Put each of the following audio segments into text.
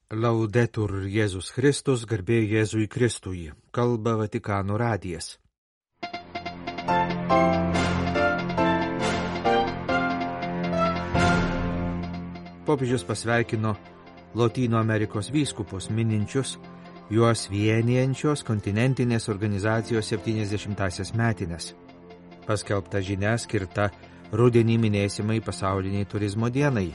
Laudetur Jėzus Kristus, garbė Jėzui Kristui, kalba Vatikano radijas. Popiežius pasveikino Lotynų Amerikos vyskupus, mininčius juos vienijančios kontinentinės organizacijos 70-asias metines. Paskelbta žinia skirta rudenį minėsimai pasauliniai turizmo dienai.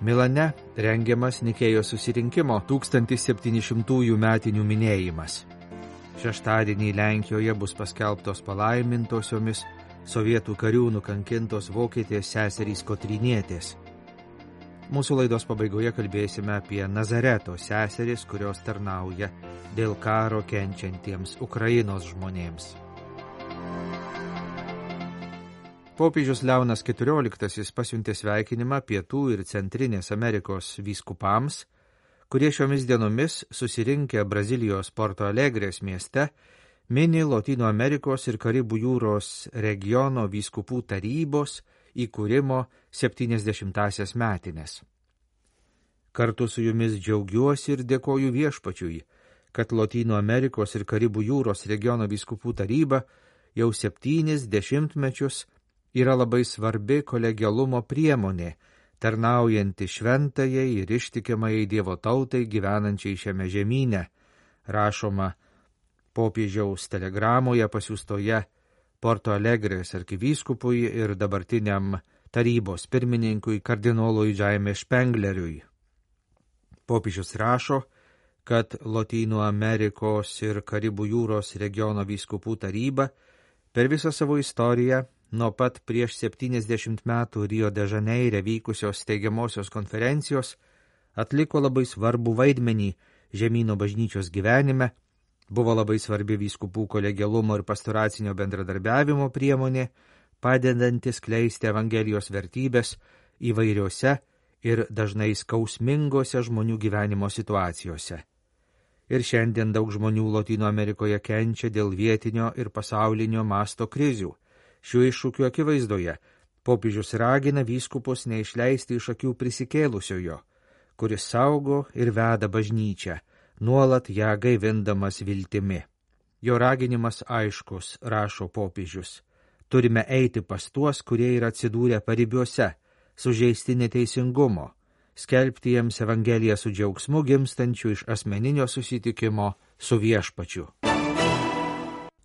Milane rengiamas Nikėjos susirinkimo 1700 metinių minėjimas. Šeštadienį Lenkijoje bus paskelbtos palaimintosiomis sovietų karių nukankintos vokietės seserys Kotrynietės. Mūsų laidos pabaigoje kalbėsime apie Nazareto seseris, kurios tarnauja dėl karo kenčiantiems Ukrainos žmonėms. Popiežius Leonas XIV pasiuntė sveikinimą Pietų ir Centrinės Amerikos vyskupams, kurie šiomis dienomis susirinkę Brazilijos Porto Alegrės mieste mini Lotynų Amerikos ir Karibų jūros regiono vyskupų tarybos įkūrimo 70-asias metines. Kartu su jumis džiaugiuosi ir dėkoju Viešpačiui, kad Lotynų Amerikos ir Karibų jūros regiono vyskupų taryba jau 70 metus yra labai svarbi kolegialumo priemonė, tarnaujanti šventajai ir ištikimai Dievo tautai gyvenančiai šiame žemyne, rašoma popiežiaus telegramoje pasiųstoje Porto Alegrės arkivyskupui ir dabartiniam tarybos pirmininkui kardinolui Jaime Špengleriui. Popiežius rašo, kad Lotynų Amerikos ir Karibų jūros regiono vyskupų taryba per visą savo istoriją nuo pat prieš 70 metų Rio de Žaneire vykusios steigiamosios konferencijos atliko labai svarbų vaidmenį žemyno bažnyčios gyvenime, buvo labai svarbi vyskupų kolegialumo ir pastoracinio bendradarbiavimo priemonė, padedanti skleisti Evangelijos vertybės įvairiose ir dažnai skausmingose žmonių gyvenimo situacijose. Ir šiandien daug žmonių Lotynų Amerikoje kenčia dėl vietinio ir pasaulinio masto krizių. Šių iššūkių akivaizdoje popiežius ragina vyskupus neišleisti iš akių prisikėlusiojo, kuris saugo ir veda bažnyčią, nuolat ją gaivindamas viltimi. Jo raginimas aiškus, rašo popiežius. Turime eiti pas tuos, kurie yra atsidūrę paribiuose, sužeisti neteisingumo, skelbti jiems Evangeliją su džiaugsmu gimstančiu iš asmeninio susitikimo su Viešpačiu.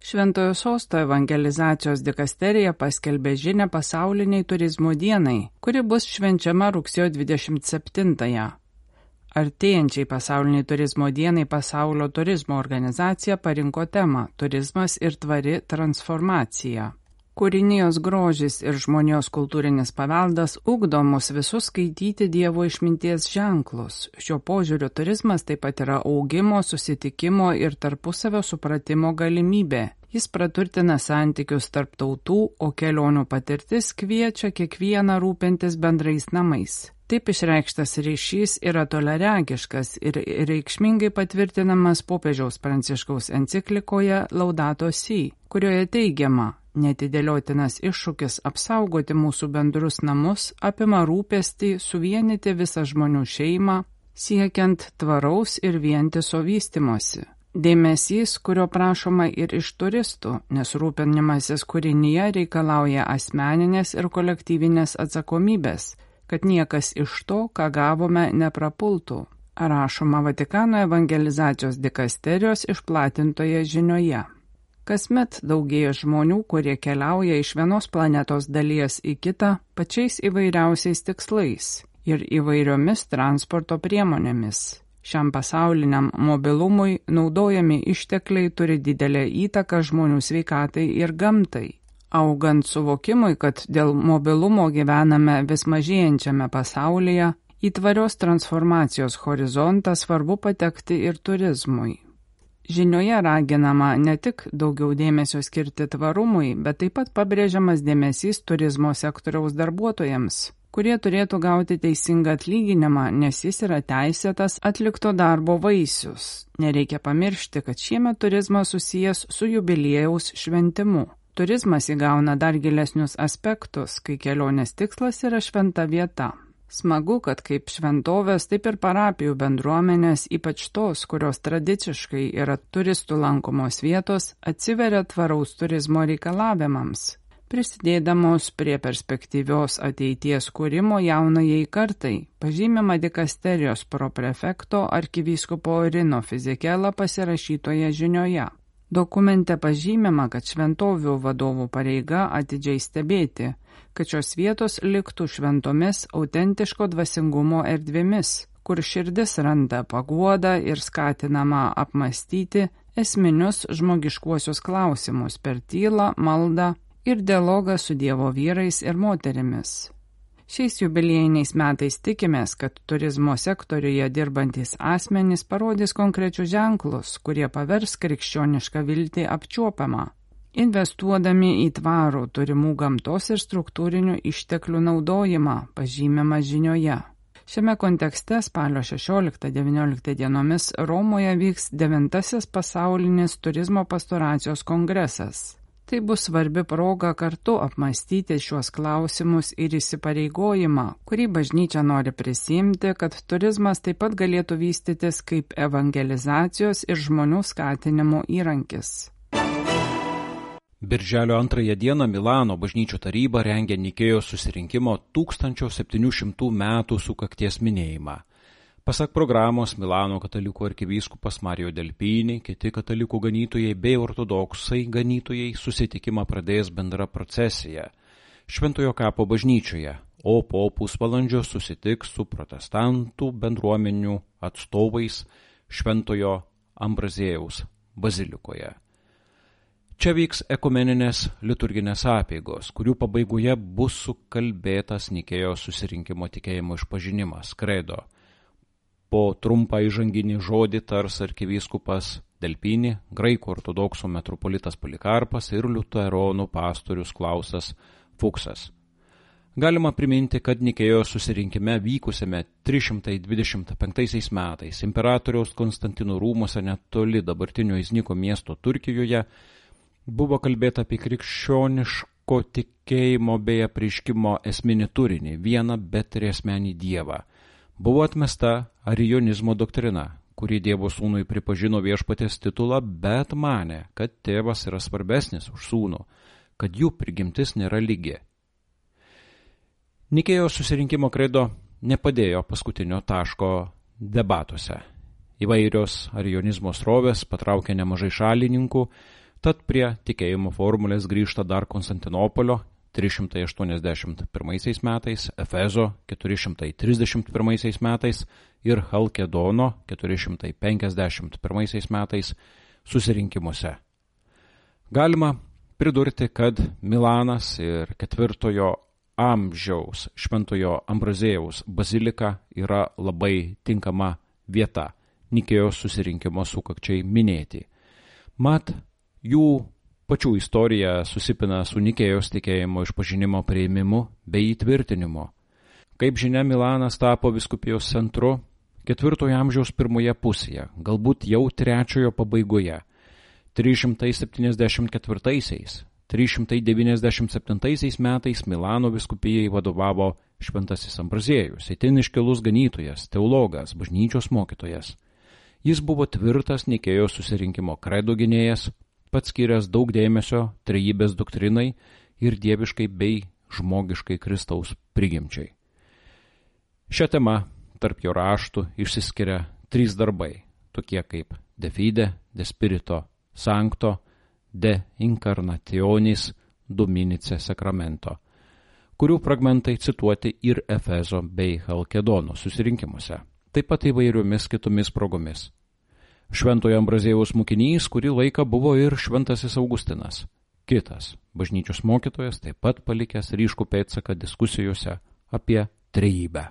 Šventojo Sosto evangelizacijos dikasterija paskelbė žinią pasauliniai turizmo dienai, kuri bus švenčiama rugsėjo 27-ąją. Artėjančiai pasauliniai turizmo dienai Pasaulio turizmo organizacija parinko temą Turizmas ir tvari transformacija. Kūrinijos grožis ir žmonijos kultūrinis paveldas ugdo mus visus skaityti Dievo išminties ženklus. Šiuo požiūriu turizmas taip pat yra augimo, susitikimo ir tarpusavio supratimo galimybė. Jis praturtina santykius tarp tautų, o kelionių patirtis kviečia kiekvieną rūpintis bendrais namais. Taip išreikštas ryšys yra toliaregiškas ir reikšmingai patvirtinamas popiežiaus Pranciškaus enciklikoje Laudato Si, kurioje teigiama: netidėliotinas iššūkis apsaugoti mūsų bendrus namus apima rūpestį suvienyti visą žmonių šeimą, siekiant tvaraus ir vientiso vystimosi. Dėmesys, kurio prašoma ir iš turistų, nes rūpinimasis kūrinyje reikalauja asmeninės ir kolektyvinės atsakomybės, kad niekas iš to, ką gavome, neprapultų, rašoma Vatikano evangelizacijos dikasterijos išplatintoje žinioje. Kasmet daugėja žmonių, kurie keliauja iš vienos planetos dalies į kitą pačiais įvairiausiais tikslais ir įvairiomis transporto priemonėmis. Šiam pasauliniam mobilumui naudojami ištekliai turi didelę įtaką žmonių sveikatai ir gamtai. Augant suvokimui, kad dėl mobilumo gyvename vis mažėjančiame pasaulyje, į tvarios transformacijos horizontą svarbu patekti ir turizmui. Žinioje raginama ne tik daugiau dėmesio skirti tvarumui, bet taip pat pabrėžiamas dėmesys turizmo sektoriaus darbuotojams, kurie turėtų gauti teisingą atlyginimą, nes jis yra teisėtas atlikto darbo vaisius. Nereikia pamiršti, kad šiemet turizmas susijęs su jubiliejaus šventimu. Turizmas įgauna dar gilesnius aspektus, kai kelionės tikslas yra šventa vieta. Smagu, kad kaip šventovės, taip ir parapijų bendruomenės, ypač tos, kurios tradiciškai yra turistų lankomos vietos, atsiveria tvaraus turizmo reikalavimams, prisidėdamos prie perspektyvios ateities kūrimo jaunajai kartai, pažymima dikasterijos proprefekto arkivyskupo Rino Fizikela pasirašytoje žinioje. Dokumente pažymima, kad šventovių vadovų pareiga atidžiai stebėti, kad šios vietos liktų šventomis autentiško dvasingumo erdvėmis, kur širdis randa paguodą ir skatinama apmastyti esminius žmogiškuosius klausimus per tylą, maldą ir dialogą su Dievo vyrais ir moterimis. Šiais jubiliejiniais metais tikimės, kad turizmo sektoriuje dirbantis asmenys parodys konkrečius ženklus, kurie pavers krikščionišką viltį apčiuopiamą, investuodami į tvarų turimų gamtos ir struktūrinių išteklių naudojimą, pažymima žinioje. Šiame kontekste spalio 16-19 dienomis Romoje vyks 9. pasaulinis turizmo pastoracijos kongresas. Tai bus svarbi proga kartu apmastyti šiuos klausimus ir įsipareigojimą, kurį bažnyčia nori prisiimti, kad turizmas taip pat galėtų vystytis kaip evangelizacijos ir žmonių skatinimo įrankis. Birželio 2 dieną Milano bažnyčių taryba rengia Nikėjos susirinkimo 1700 metų sukakties minėjimą. Pasak programos, Milano katalikų arkivyskupas Mario Delpini, kiti katalikų ganytojai bei ortodoksai ganytojai susitikimą pradės bendra procesija Šventojo kapo bažnyčioje, o po pusvalandžio susitiks su protestantų bendruomenių atstovais Šventojo Ambraziejaus bazilikoje. Čia vyks ekumeninės liturginės apeigos, kurių pabaigoje bus sukalbėtas Nikėjos susirinkimo tikėjimo išpažinimas, kredo. Po trumpą įžanginį žodį tars arkivyskupas Delpini, graikų ortodoksų metropolitas Polikarpas ir liuteronų pastorius Klausas Fuksas. Galima priminti, kad Nikėjos susirinkime vykusiame 325 metais imperatoriaus Konstantino rūmuose netoli dabartinio Izniko miesto Turkijoje buvo kalbėta apie krikščioniško tikėjimo bei apreiškimo esminį turinį, vieną betriasmenį dievą. Buvo atmesta arijonizmo doktrina, kuri Dievo sūnui pripažino viešpaties titulą, bet manė, kad tėvas yra svarbesnis už sūnų, kad jų prigimtis nėra lygi. Nikėjos susirinkimo kredo nepadėjo paskutinio taško debatuose. Įvairios arijonizmo srovės patraukė nemažai šalininkų, tad prie tikėjimo formulės grįžta dar Konstantinopolio 381 metais, Efezo 431 metais ir Chalkedono 451 metais susirinkimuose. Galima pridurti, kad Milanas ir 4 amžiaus Šventojo Ambraziejaus bazilika yra labai tinkama vieta Nikėjos susirinkimo sukakčiai minėti. Mat, jų pačių istorija susipina su Nikėjos tikėjimo išpažinimo priėmimu bei įtvirtinimu. Kaip žinia, Milanas tapo vyskupijos centru 4 amžiaus pirmoje pusėje, galbūt jau 3 pabaigoje. 374-397 metais Milano vyskupijai vadovavo Šventasis Ambraziejus, itin iškilus ganytojas, teologas, bažnyčios mokytojas. Jis buvo tvirtas Nikėjos susirinkimo kredo gynėjas, pats skyręs daug dėmesio trejybės doktrinai ir dieviškai bei žmogiškai Kristaus prigimčiai. Šią temą tarp jo raštų išsiskiria 3 darbai, tokie kaip De Fide, De Spirito Sancto, De Incarnationis Dominice Sacramento, kurių fragmentai cituoti ir Efezo bei Chalkedono susirinkimuose, taip pat įvairiomis kitomis progomis. Šventojo Ambraziejaus mokinys kurį laiką buvo ir Šventasis Augustinas, kitas bažnyčios mokytojas, taip pat palikęs ryškų pėdsaką diskusijose apie trejybę.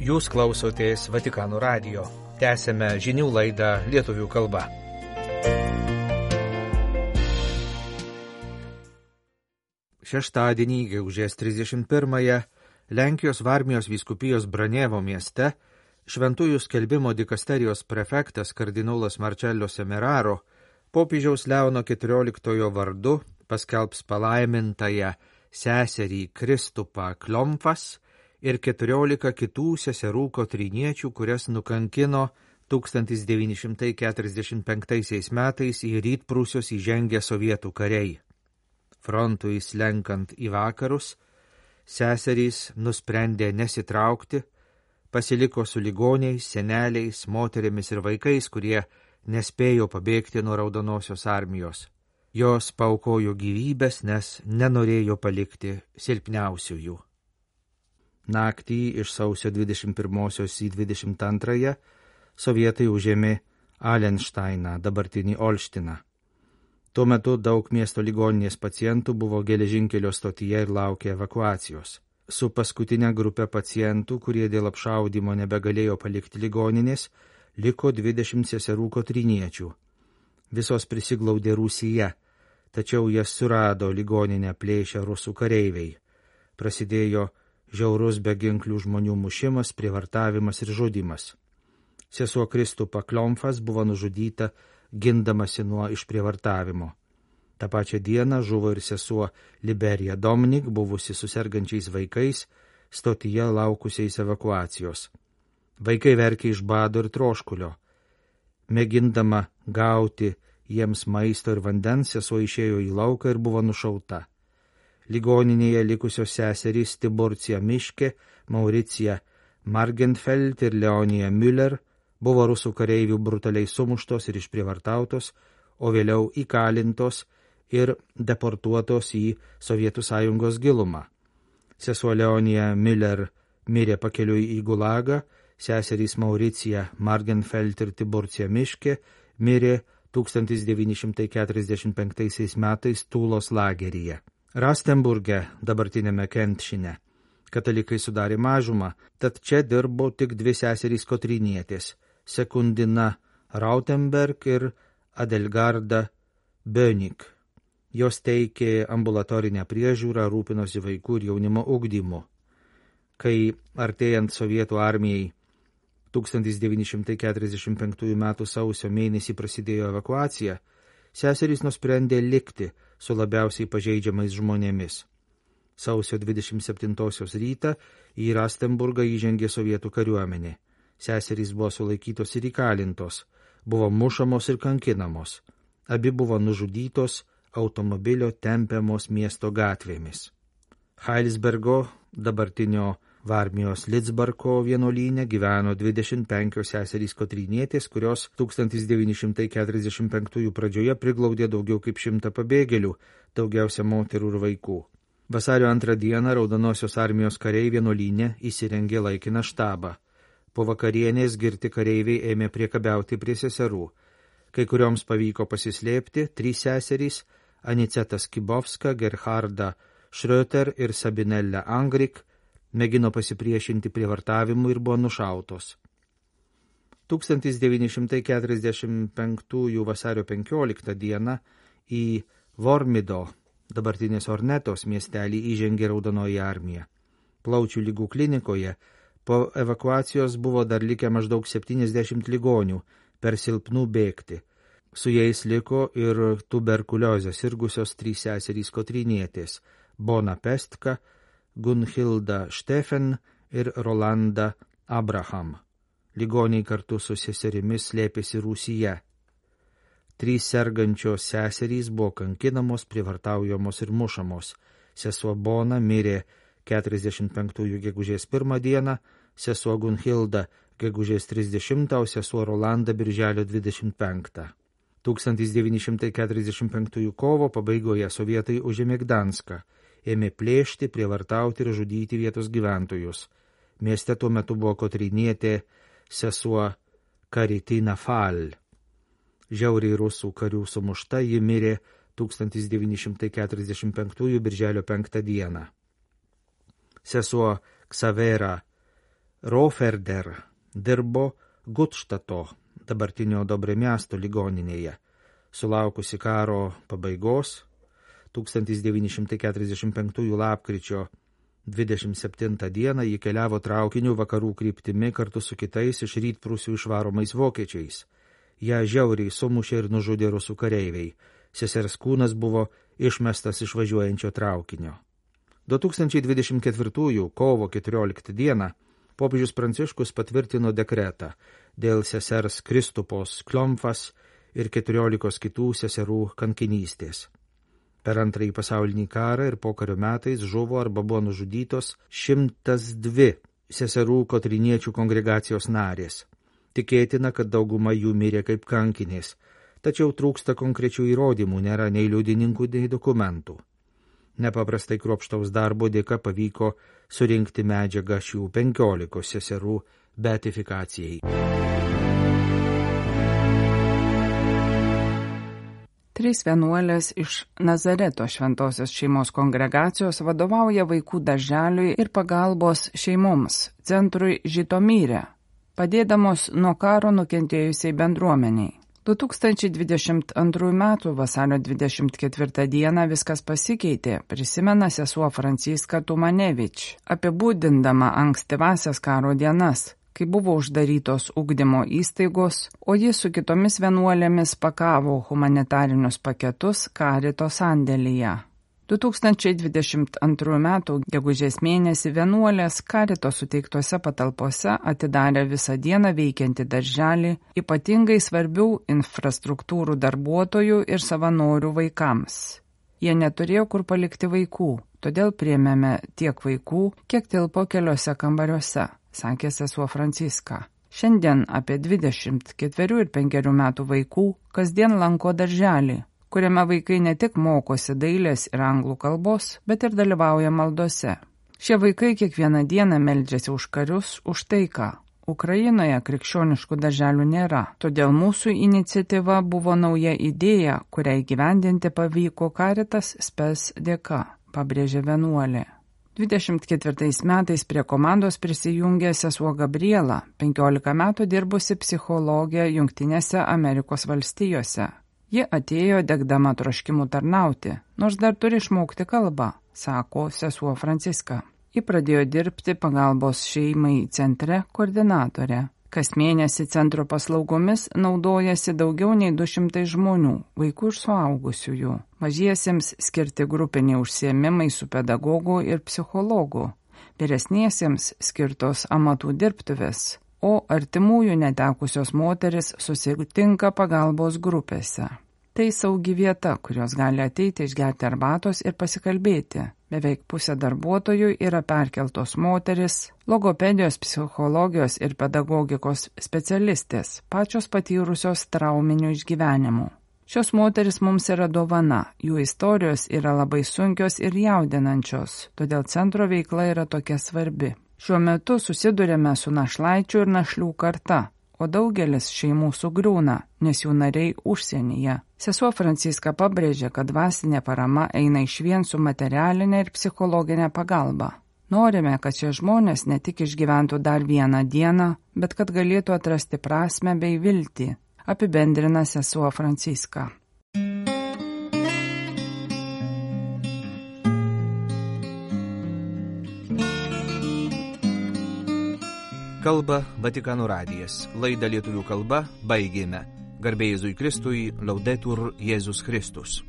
Jūs klausotės Vatikano radijo. Tęsėme žinių laidą lietuvių kalba. Šeštadienį, gegužės 31-ąją, Lenkijos Varmijos vyskupijos Branievo mieste Šventųjų skelbimo dikasterijos prefektas kardinolas Marcello Semeraro Popiežiaus Leono XIV vardu paskelbs palaimintąją seserį Kristupą Kliomfas ir 14 kitų seserų kotryniečių, kurias nukankino 1945 metais į Rytprūsius įžengę sovietų kariai. Frontui slenkant į vakarus, seserys nusprendė nesitraukti, pasiliko su ligoniais, seneliais, moterimis ir vaikais, kurie nespėjo pabėgti nuo Raudonosios armijos. Jos paaukojo gyvybės, nes nenorėjo palikti silpniausiųjų. Naktį iš sausio 21 į 22 sovietai užėmė Alenšteiną, dabartinį Olštiną. Tuo metu daug miesto ligoninės pacientų buvo geležinkelio stotyje ir laukė evakuacijos. Su paskutinė grupė pacientų, kurie dėl apšaudymo nebegalėjo palikti ligoninės, liko 20 seserų kotryniečių. Visos prisiglaudė Rūsyje, tačiau jas surado ligoninę plėšę rusų kareiviai. Prasidėjo žiaurus beginklių žmonių mušimas, prievartavimas ir žudymas. Sesuo Kristupa Kliomfas buvo nužudyta gindamasi nuo išprievartavimo. Ta pačia diena žuvo ir sesuo Liberija Domnik, buvusi su sergančiais vaikais, stotyje laukusiais evakuacijos. Vaikai verkė iš bado ir troškulio. Mėgindama gauti jiems maisto ir vandens, sesuo išėjo į lauką ir buvo nušauta. Ligoninėje likusios seserys Tiburcija Miške, Mauricija Margenfeld ir Leonija Müller buvo rusų kareivių brutaliai sumuštos ir išprievartautos, o vėliau įkalintos ir deportuotos į Sovietų Sąjungos gilumą. Sesuo Leonija Müller mirė pakeliui į Gulagą, seserys Mauricija Margenfeld ir Tiburcija Miške mirė 1945 metais Tūlos lageryje. Rastenburge, dabartinėme Kentšine, katalikai sudarė mažumą, tad čia dirbo tik 2 seserys kotrynietės – Sekundina Rautenberg ir Adelgarda Bönig. Jos teikė ambulatorinę priežiūrą, rūpinosi vaikų ir jaunimo ugdymu. Kai artėjant sovietų armijai 1945 m. sausio mėnesį prasidėjo evakuacija, seserys nusprendė likti su labiausiai pažeidžiamais žmonėmis. Sausio 27 rytą į Rastenburgą įžengė sovietų kariuomenė. Seserys buvo sulaikytos ir įkalintos, buvo mušamos ir kankinamos. Abi buvo nužudytos automobilio tempiamos miesto gatvėmis. Heilsbergo, dabartinio Varmijos Lidzbarko vienuolyne, gyveno 25 seserys kotrynietės, kurios 1945 pradžioje priglaudė daugiau kaip 100 pabėgėlių, daugiausia moterų ir vaikų. Vasario 2 dieną Raudonosios armijos kariai vienuolyne įsirengė laikiną štabą. Po vakarienės girti kareiviai ėmė priekabiauti prie seserų. Kai kurioms pavyko pasislėpti, 3 seserys – Aniceta Skibovska, Gerharda Schröter ir Sabinella Angrik – mėgino pasipriešinti prievartavimui ir buvo nušautos. 1945 vasario 15 dieną į Vormido, dabartinės Ornetos miestelį, įžengė Raudonoji armija. Plaučių ligų klinikoje po evakuacijos buvo dar likę maždaug 70 ligonių, per silpnų bėgti. Su jais liko ir tuberkuliozę sirgusios 3 seserys kotrynietės – Bona Pestka, Gunhilda Steffen ir Rolanda Abraham. Ligoniai kartu su seserimis slėpėsi Rūsyje. 3 sergančios seserys buvo kankinamos, prievartaujamos ir mušamos. Sesuo Bona mirė 45 gegužės 1 dieną, sesuo Gunhilda gegužės 30, o sesuo Rolanda birželio 25. 1945 kovo pabaigoje sovietai užėmė Gdanską, ėmė plėšti, prievartauti ir žudyti vietos gyventojus. Mieste tuo metu buvo kotrynietė sesuo Karitina Fal. Žiauriai rusų karių sumušta, ji mirė 1945 birželio 5 dieną. Sesuo Ksavera Roferder dirbo Gutštato, dabartinio Dobremiasto ligoninėje. Sulaukusi karo pabaigos, 1945 lapkričio 27 dieną ji keliavo traukiniu vakarų kryptimi kartu su kitais iš Rytprūsių išvaromais vokiečiais. Ją žiauriai sumušė ir nužudė rusų kareiviai. Sesers kūnas buvo išmestas iš važiuojančio traukinio. 2024 kovo 14 dieną popiežius Pranciškus patvirtino dekretą dėl sesers Kristupos Klomfas ir 14 kitų seserų kankinystės. Per Antrąjį pasaulinį karą ir pokario metais žuvo arba buvo nužudytos 102 seserų kotryniečių kongregacijos narės. Tikėtina, kad dauguma jų mirė kaip kankinės, tačiau trūksta konkrečių įrodymų, nėra nei liudininkų, nei dokumentų. Nepaprastai kruopštaus darbo dėka pavyko surinkti medžiagą šių 15 seserų beatifikacijai. Trys vienuolės iš Nazareto šventosios šeimos kongregacijos vadovauja vaikų darželiui ir pagalbos šeimoms centrui Žitomyre, padėdamos nuo karo nukentėjusiai bendruomeniai. 2022 m. vasario 24 d. viskas pasikeitė, prisimena sesuo Franciska Tumanevič, apibūdindama ankstyvasias karo dienas, kai buvo uždarytos ugdymo įstaigos, o ji su kitomis vienuolėmis pakavo humanitarinius paketus Karito sandėlyje. 2022 m. gegužės mėnesį vienuolės Karito suteiktose patalpose atidarė visą dieną veikiantį darželį ypatingai svarbių infrastruktūrų darbuotojų ir savanorių vaikams. Jie neturėjo kur palikti vaikų, todėl priėmėme tiek vaikų, kiek tilpo keliose kambariuose, sakė sesuo Franciska. Šiandien apie 24 ir 5 metų vaikų kasdien lanko darželį, kuriame vaikai ne tik mokosi dailės ir anglų kalbos, bet ir dalyvauja maldose. Šie vaikai kiekvieną dieną meldžiasi už karius, už taiką. Ukrainoje krikščioniškų darželių nėra, todėl mūsų iniciatyva buvo nauja idėja, kurią įgyvendinti pavyko Caritas Spes dėka, pabrėžė vienuolė. 24 metais prie komandos prisijungė sesuo Gabriela, 15 metų dirbusi psichologė Jungtinėse Amerikos valstijose. Ji atėjo degdama troškimų tarnauti, nors dar turi išmokti kalbą, sako sesuo Franciska. Ji pradėjo dirbti pagalbos šeimai centre koordinatorė. Kas mėnesį centro paslaugomis naudojasi daugiau nei 200 žmonių, vaikų ir suaugusiųjų. Mažiesiems skirti grupiniai užsiėmimai su pedagogu ir psichologu, vyresniesiems skirtos amatų dirbtuvės, o artimųjų netekusios moteris susitinka pagalbos grupėse. Tai saugi vieta, kurios gali ateiti išgerti arbatos ir pasikalbėti. Beveik pusė darbuotojų yra perkeltos moteris, logopedijos, psichologijos ir pedagogikos specialistės, pačios patyrusios trauminių išgyvenimų. Šios moteris mums yra dovana, jų istorijos yra labai sunkios ir jaudinančios, todėl centro veikla yra tokia svarbi. Šiuo metu susidurėme su našlaičių ir našlių karta, o daugelis šeimų sugriūna, nes jų nariai užsienyje. Sesuo Franciska pabrėžė, kad dvasinė parama eina išvien su materialinė ir psichologinė pagalba. Norime, kad šie žmonės ne tik išgyventų dar vieną dieną, bet kad galėtų atrasti prasmę bei viltį, apibendrina sesuo Franciska. Kalba Vatikano radijas. Laidą lietuvių kalba baigėme. Garbė Jėzui Kristui, Laudetur Jėzus Kristus.